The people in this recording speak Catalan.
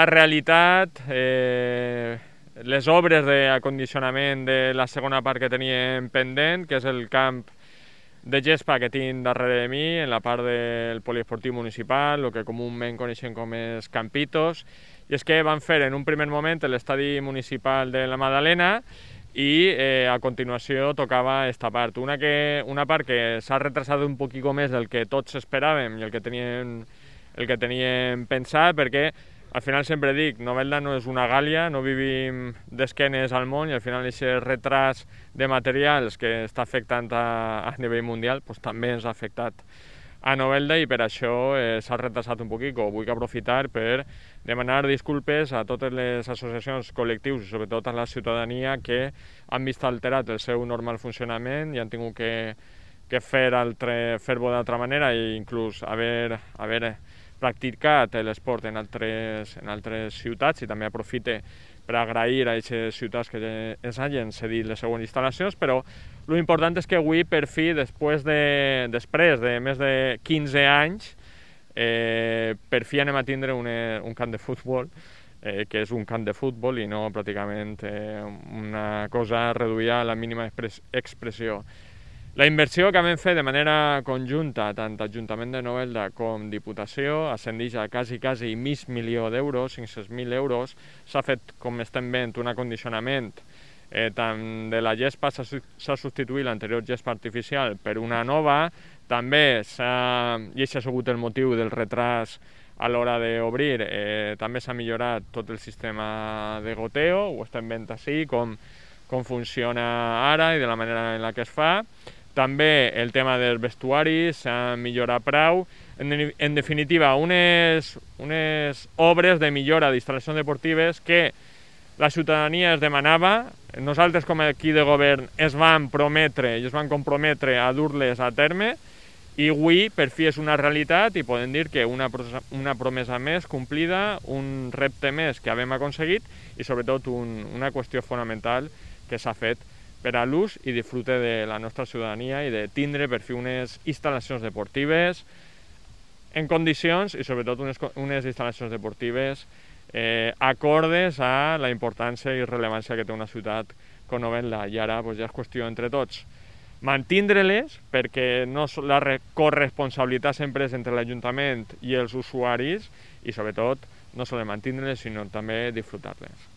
la realitat, les obres d'acondicionament de la segona part que teníem pendent, que és el camp de gespa que tinc darrere de mi, en la part del poliesportiu municipal, el que comúment coneixem com els campitos, i és que van fer en un primer moment l'estadi municipal de la Madalena i a continuació tocava esta part. Una part que s'ha retrasat un poquito més del que tots esperàvem i el que teníem pensat, perquè al final sempre dic, Novelda no és una Gàlia, no vivim d'esquenes al món i al final aquest retras de materials que està afectant a nivell mundial pues, també ens ha afectat a Novelda i per això s'ha retrasat un poquet. Vull aprofitar per demanar disculpes a totes les associacions, col·lectius i sobretot a la ciutadania que han vist alterat el seu normal funcionament i han tingut que fer-ho d'altra manera i inclús haver practicat l'esport en altres ciutats i també aprofite per agrair a aquestes ciutats que ens hagin cedit les següents instal·lacions, però l'important és que avui, per fi, després de més de 15 anys, per fi anem a tindre un camp de futbol, que és un camp de futbol i no pràcticament una cosa reduïda a la mínima expressió. La inversió que vam fer de manera conjunta, tant Ajuntament de Novelda com Diputació, ascendeix a quasi mig milió d'euros, 500.000 euros. S'ha fet, com estem veient, un acondicionament tant de la gespa, s'ha substituït l'anterior gespa artificial per una nova, també i això ha sigut el motiu del retras a l'hora d'obrir, també s'ha millorat tot el sistema de goteo, ho estem veient així, com funciona ara i de la manera en la que es fa. També el tema dels vestuaris s'ha millorat prou. En definitiva, unes obres de millora d'instal·lacions deportives que la ciutadania es demanava. Nosaltres, com a equip de govern, es van prometre i es van comprometre a dur-les a terme i avui, per fi, és una realitat i podem dir que una promesa més complida, un repte més que hem aconseguit i, sobretot, una qüestió fonamental que s'ha fet per a l'ús i disfrute de la nostra ciutadania i de tindre per fi unes instal·lacions deportives en condicions i sobretot unes instal·lacions deportives acordes a la importància i rellevància que té una ciutat com Novelda. I ara ja és qüestió entre tots mantindre-les perquè la corresponsabilitat sempre és entre l'Ajuntament i els usuaris i sobretot no sols mantindre-les sinó també disfrutar-les.